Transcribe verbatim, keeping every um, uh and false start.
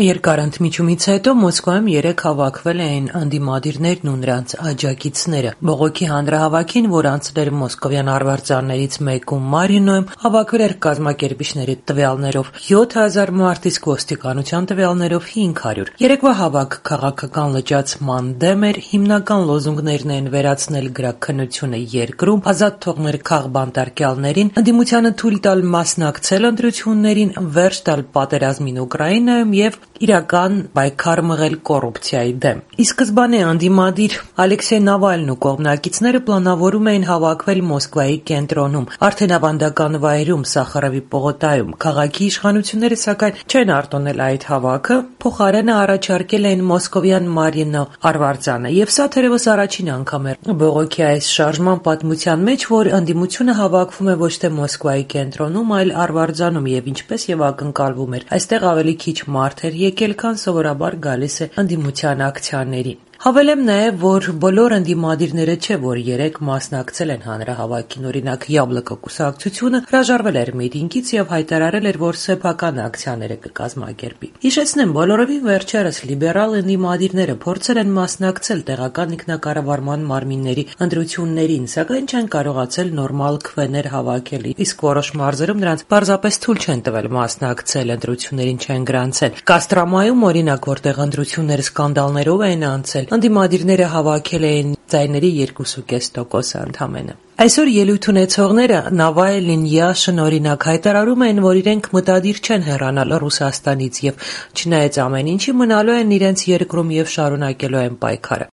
Երկար ընդմիջումից հետո Մոսկվայում երեկ հավաքվել էին ընդդիմադիրներն ու նրանց աջակիցները։ Բողոքի հանրահավաքին, որ անցել էր մոսկովյան արվարձաններից մեկում Մարինոյում, հավաքվել էր կազմակերպիչների տվյալներով յոթ հազար մարդ, իսկ ոստիկանության տվյալներով հինգ հարյուր։ Երեկվա հավաքը քաղաքական լճացման դեմ էր, հիմնական լոզունգներն են վերացնել գրաքննությունը երկրում, ազատ թողնել քաղբանտարկյալներին, ընդդիմությանը թույլ տալ մասնակցել ընտրություններին, վերջ տալ պատերազմին Ուկրաինայում եւ իրական պայքար մղել կոռուպցիայի դեմ։ Ի սկզբանե ընդդիմադիր Ալեքսեյ Նավալնին ու կողմնակիցները պլանավորում էին հավաքվել Մոսկվայի կենտրոնում, արդեն ավանդական վայրում, Սախարովի պողոտայում։ Քաղաքի իշխանությունները, սակայն, չեն արտոնել այդ հավաքը, փոխարենը առաջարկել էին մոսկովյան Մարինո արվարձանը, եւ սա թերևս առաջին անգամ էր բողոքի այս շարժման պատմության մեջ, որ ընդդիմությունը հավաքվում է ոչ թե Մոսկվայի կենտրոնում, այլ արվարձանում, եւ ինչպես եւ ակնկալվում էր, այստեղ ավելի քիչ մարդ էր եկել, քան սովորաբար գալիս է ընդդիմության ակցիաներին։ Հավելեմ նաև, որ բոլոր ընդդիմադիրները չէ, որ երեկ մասնակցել են հանրահավաքին, օրինակ Յաբլոկո կուսակցությունը հրաժարվել էր միտինգից եւ հայտարարել էր, որ սեփական ակցիաները կկազմակերպի։ Հիշեցնեմ, բոլորովին վերջերս լիբերալ ընդդիմադիրները փորձել են մասնակցել տեղական ինքնակառավարման մարմինների ընտրություններին, սակայն չեն կարողացել նորմալ քվեներ հավաքել, իսկ որոշ մարզերում նրանց պարզապես թույլ չեն տվել մասնակցել, ընտրություններին չեն գրանցել։ Կաստրամայում, օրինակ, որտեղ ընտրությունները սկանդալներով են անցել, ընդդիմադիրները հավաքել էին ձայների երկու կես տոկոսը ընդամենը։ Այսօր ելույթ ունեցողները Նավալնին, Յաշին, օրինակ, հայտարարում են, որ իրենք մտադիր չեն հեռանալ Ռուսաստանից եւ չնայած ամեն ինչի մնալու են իրենց երկրում եւ շարունակելու են պայքարը։